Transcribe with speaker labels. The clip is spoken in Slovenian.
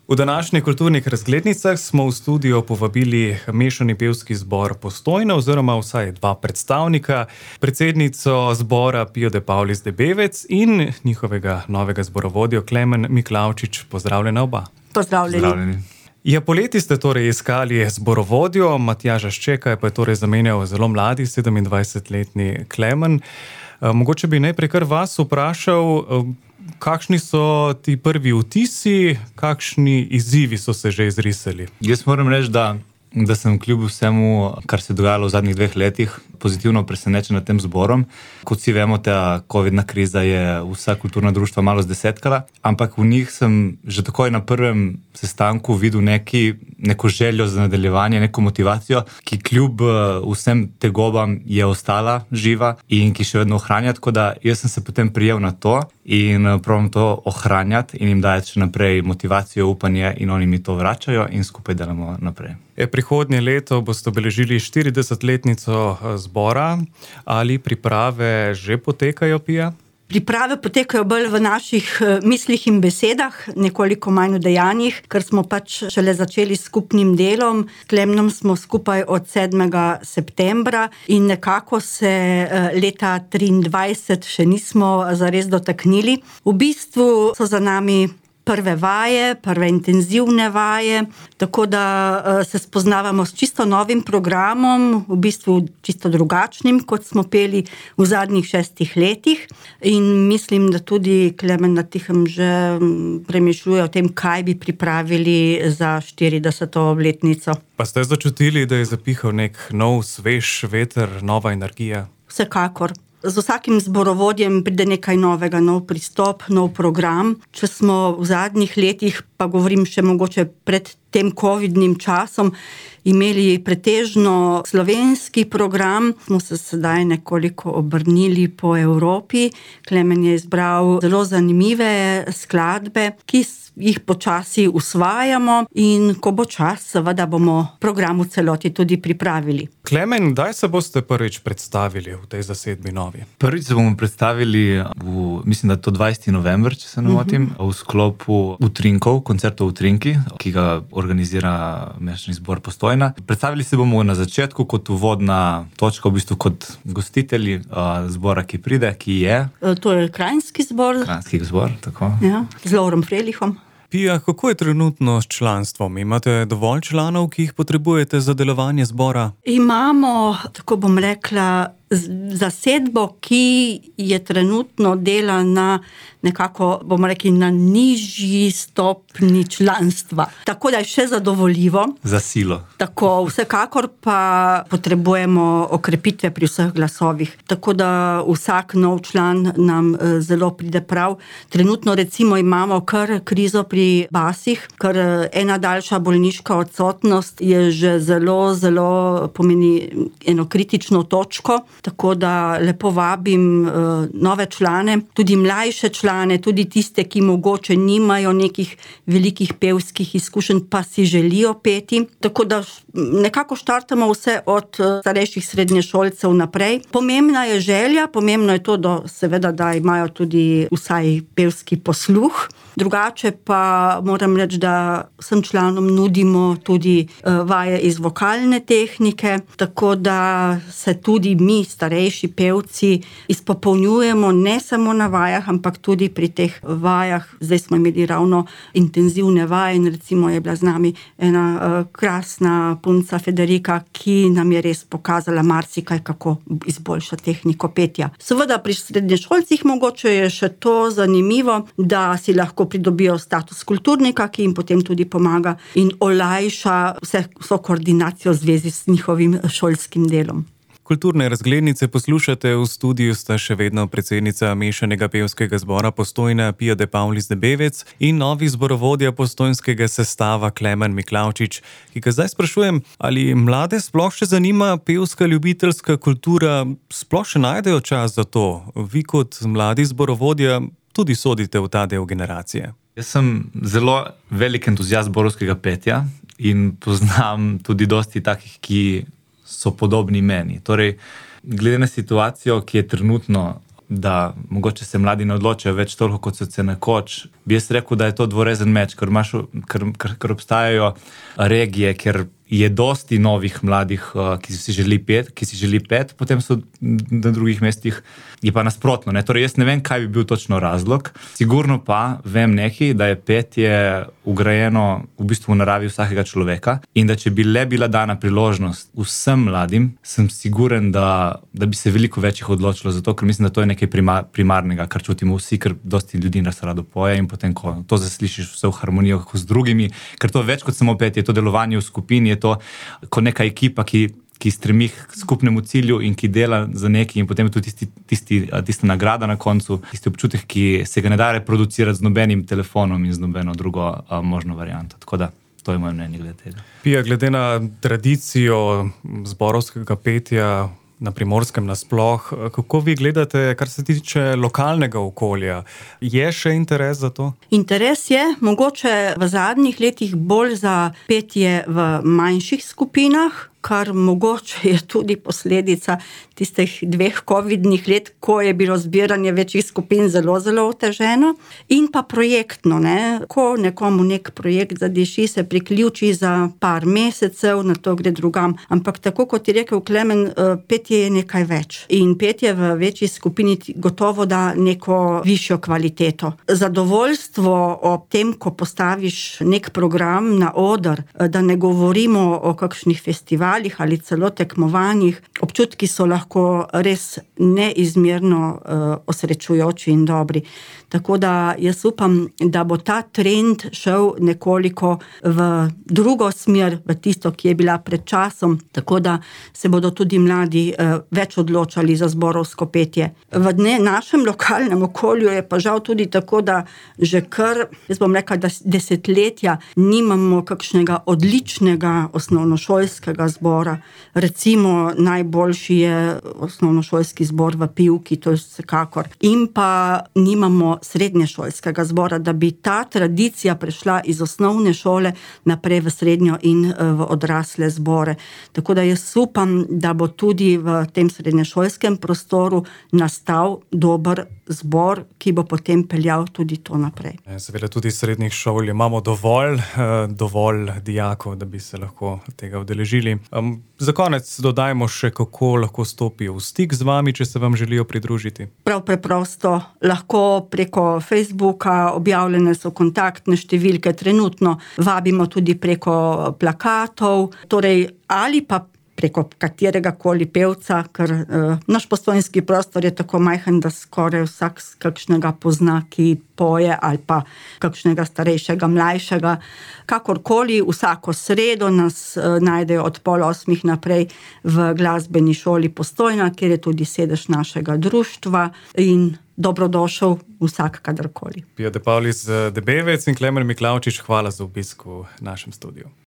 Speaker 1: V današnjih kulturnih razglednicah smo v studio povabili mešani pevski zbor Postojna oziroma vsaj dva predstavnika, predsednico zbora Pijo de Paulis de Bevec in njihovega novega zborovodjo Klemen Miklavčič. Pozdravljena oba.
Speaker 2: Pozdravljeni.
Speaker 1: Ja, poleti ste torej iskali zborovodjo, Matjaža Ščeka pa je torej zamenjal zelo mladi, 27-letni Klemen. Mogoče bi najprej kar vas vprašal, kakšni so ti prvi vtisi, kakšni izzivi so se že izrisali?
Speaker 2: Jaz moram reči, da sem kljub vsemu, kar se je dogajalo v zadnjih 2 letih, pozitivno presenečen nad tem zborom. Kot vsi vemo, ta covidna kriza je vsa kulturna društva malo zdesetkala, ampak v njih sem že takoj na prvem sestanku videl neko željo za nadaljevanje, neko motivacijo, ki kljub vsem tegobam je ostala živa in ki še vedno ohranja, tako da jaz sem se potem prijel na to in probam to ohranjati in jim dajati še naprej motivacijo, upanje in oni mi to vračajo in skupaj delamo naprej.
Speaker 1: Prihodnje leto boste obeležili 40-letnico zbora. Ali priprave že potekajo, Pija?
Speaker 3: Priprave potekajo bolj v naših mislih in besedah, nekoliko manj v dejanjih, ker smo pač šele začeli s skupnim delom. S Klemnom smo skupaj od 7. septembra in nekako se leta 2023 še nismo zares dotaknili. V bistvu so za nami prve vaje, prve intenzivne vaje, tako da se spoznavamo s čisto novim programom, v bistvu čisto drugačnim, kot smo peli v zadnjih 6 letih. In mislim, da tudi Klemen na tihem že premišljuje o tem, kaj bi pripravili za 40. obletnico.
Speaker 1: Pa ste začutili, da je zapihal nek nov, svež veter, nova energija?
Speaker 3: Vsekakor. Z vsakim zborovodjem pride nekaj novega, nov pristop, nov program. Če smo v zadnjih letih, pa govorim še mogoče pred tem covidnim časom, imeli pretežno slovenski program, smo se sedaj nekoliko obrnili po Evropi. Klemen je izbral zelo zanimive skladbe, ki jih počasi usvajamo in ko bo čas, seveda bomo program v celoti tudi pripravili.
Speaker 1: Klemen, kdaj se boste prvič predstavili v tej zasedbi novi?
Speaker 2: Prvič se bomo predstavili mislim, da je to 20. november, če se ne motim, v sklopu Utrinkov, koncertov Utrinki, ki ga organizira mešani zbor Postojna. Predstavili se bomo na začetku kot uvodna točka, v bistvu kot gostitelji zbora, ki pride, ki je...
Speaker 3: To je Kranjski zbor.
Speaker 2: Kranjski zbor, tako.
Speaker 3: Ja, z Lovrom Frelihom.
Speaker 1: Pija, kako je trenutno s članstvom? Imate dovolj članov, ki jih potrebujete za delovanje zbora?
Speaker 3: Imamo, tako bom rekla, zasedbo, ki je trenutno dela na nekako, bomo rekli, na nižji stopni članstva. Tako da je še zadovoljivo.
Speaker 2: Za silo.
Speaker 3: Tako, vsekakor pa potrebujemo okrepitve pri vseh glasovih. Tako da vsak nov član nam zelo pride prav. Trenutno recimo imamo kar krizo pri basih, ker ena daljša bolniška odsotnost je že zelo pomeni eno kritično točko. Tako da lepo vabim nove člane, tudi mlajše člane, tudi tiste, ki mogoče nimajo nekih velikih pevskih izkušenj, pa si želijo peti. Tako da nekako štartamo vse od starejših srednješolcev naprej. Pomembna je želja, pomembno je to, seveda, da imajo tudi vsaj pevski posluh. Drugače pa moram reči, da vsem članom nudimo tudi vaje iz vokalne tehnike, tako da se tudi mi, starejši pevci, izpopolnjujemo ne samo na vajah, ampak tudi pri teh vajah. Zdaj smo imeli ravno intenzivne vaje in recimo je bila z nami ena krasna punca Federika, ki nam je res pokazala marsikaj, kako izboljšati tehniko petja. Seveda pri srednješolcih mogoče je še to zanimivo, da si lahko pridobijo status kulturnika, ki jim potem tudi pomaga in olajša vso koordinacijo v zvezi s njihovim šolskim delom.
Speaker 1: Kulturne razglednice poslušate, v studiu sta še vedno predsednica mešanega pevskega zbora Postojna Pijo de Paulis de Bevec in novi zborovodja postojnskega sestava Klemen Miklavčič, ki ga zdaj sprašujem, ali mlade sploh še zanima pevska ljubiteljska kultura, sploh še najdejo čas za to? Vi kot mladi zborovodja tudi sodite v ta del generacije.
Speaker 2: Jaz sem zelo velik entuzijast zborovskega petja in poznam tudi dosti takih, ki so podobni meni. Torej, glede na situacijo, ki je trenutno da mogoče se mladi ne odločajo več toliko, kot so se nekoč. Bi jaz rekel, da je to dvorezen meč, ker obstajajo regije, kjer je dosti novih mladih, ki si želi pet, potem so na drugih mestih je pa nasprotno. Ne? Torej, jaz ne vem, kaj bi bil točno razlog. Sigurno pa vem nekaj, da je petje ugrajeno v bistvu v naravi vsakega človeka in da če bi le bila dana priložnost vsem mladim, sem siguren, da bi se veliko več jih odločilo za to, ker mislim, da to je nekaj primarnega, kar čutimo vsi, ker dosti ljudi nas rado poje in potem, ko to zaslišiš vse v harmonijo z drugimi, ker to je več kot samo petje, je to delovanje v skupini, je to kot neka ekipa, ki stremi k skupnemu cilju in ki dela za nekaj in potem je tudi tista nagrada na koncu, tisti občutek, ki se ga ne da reproducirati z nobenim telefonom in z nobeno drugo možno varianto. Tako da, to je moje mnenje glede tega.
Speaker 1: Pija, glede na tradicijo zborovskega petja na Primorskem nasploh, kako vi gledate, kar se tiče lokalnega okolja? Je še interes za to?
Speaker 3: Interes je, mogoče v zadnjih letih bolj za petje v manjših skupinah, kar mogoče je tudi posledica tistih 2 covidnih let, ko je bilo zbiranje večjih skupin zelo, zelo oteženo. In pa projektno, ne? Ko nekomu nek projekt zadiši, se priključi za par mesecev, na to gre drugam. Ampak tako, kot je rekel Klemen, petje je nekaj več. In petje v večji skupini gotovo da neko višjo kvaliteto. Zadovoljstvo ob tem, ko postaviš nek program na oder, da ne govorimo o kakšnih festivalih ali celo tekmovanjih, občutki so lahko res neizmerno osrečujoči in dobri. Tako da jaz upam, da bo ta trend šel nekoliko v drugo smer, v tisto, ki je bila pred časom, tako da se bodo tudi mladi več odločali za zborovsko petje. V našem lokalnem okolju je pa žal tudi tako, da že kar, jaz bom rekla, da desetletja nimamo kakšnega odličnega osnovnošolskega zbora. Recimo najboljši je osnovnošolski zbor v Pivki, to je vsekakor. In pa nimamo srednješolskega zbora, da bi ta tradicija prešla iz osnovne šole naprej v srednjo in v odrasle zbore. Tako da jaz upam, da bo tudi v tem srednješolskem prostoru nastal dober zbor, ki bo potem peljal tudi to naprej.
Speaker 1: Seveda tudi srednjih šol imamo dovolj dijakov, da bi se lahko tega udeležili. Za konec dodajmo še, kako lahko stopijo v stik z vami, če se vam želijo pridružiti.
Speaker 3: Prav preprosto, lahko preko Facebooka, objavljene so kontaktne številke, trenutno vabimo tudi preko plakatov, torej ali pa preko katerega koli pevca, ker naš Postojnski prostor je tako majhen, da skoraj vsak kakšnega pozna, ki poje, ali pa kakšnega starejšega, mlajšega. Kakorkoli, vsako sredo nas najdejo od 7:30 naprej v glasbeni šoli Postojna, kjer je tudi sedež našega društva in dobrodošel vsak kadarkoli.
Speaker 1: Pija De Paulis Debevec in Klemen Miklavčič, hvala za obisk v našem studiu.